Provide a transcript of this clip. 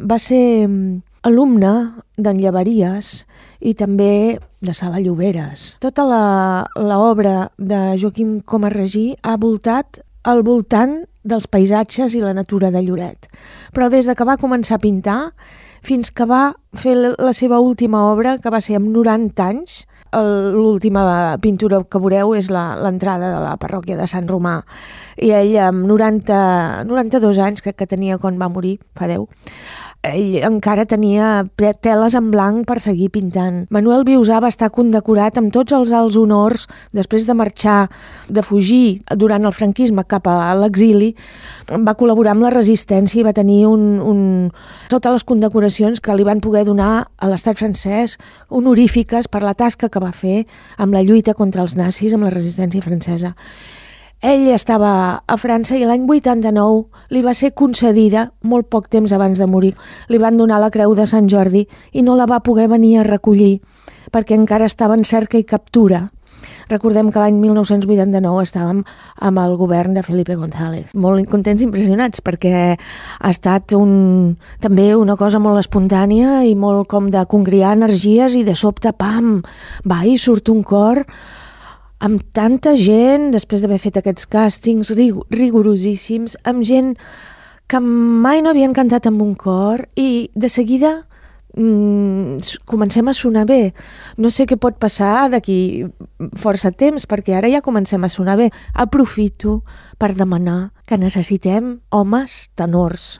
Va ser alumne d'en Llaveries i també de Sala Lloberes. Tota l'obra de Joaquim Comas-Regí ha voltat al voltant dels paisatges i la natura de Lloret. Però des de que va començar a pintar fins que va fer la seva última obra, que va ser amb 90 anys, l'última pintura que veureu és l'entrada de la parròquia de Sant Romà. I ell amb 92 anys, crec que tenia quan va morir, fa 10, ell encara tenia teles en blanc per seguir pintant. Manuel Viusà va estar condecorat amb tots els alts honors després de marxar, de fugir durant el franquisme cap a l'exili. Va col·laborar amb la resistència i va tenir totes les condecoracions que li van poder donar a l'estat francès, honorífiques per la tasca que va fer amb la lluita contra els nazis, amb la resistència francesa. Ell estava a França i l'any 89 li va ser concedida, molt poc temps abans de morir, li van donar la Creu de Sant Jordi i no la va poder venir a recollir perquè encara estava en cerca i captura. Recordem que l'any 1989 estàvem amb el govern de Felipe González. Molt contents i impressionats perquè ha estat també una cosa molt espontània i molt com de congriar energies i de sobte, pam, va i surt un cor amb tanta gent, després d'haver fet aquests càstings rigorosíssims, amb gent que mai no havien cantat amb un cor i de seguida comencem a sonar bé. No sé què pot passar d'aquí força temps, perquè ara ja comencem a sonar bé. Aprofito per demanar que necessitem homes tenors.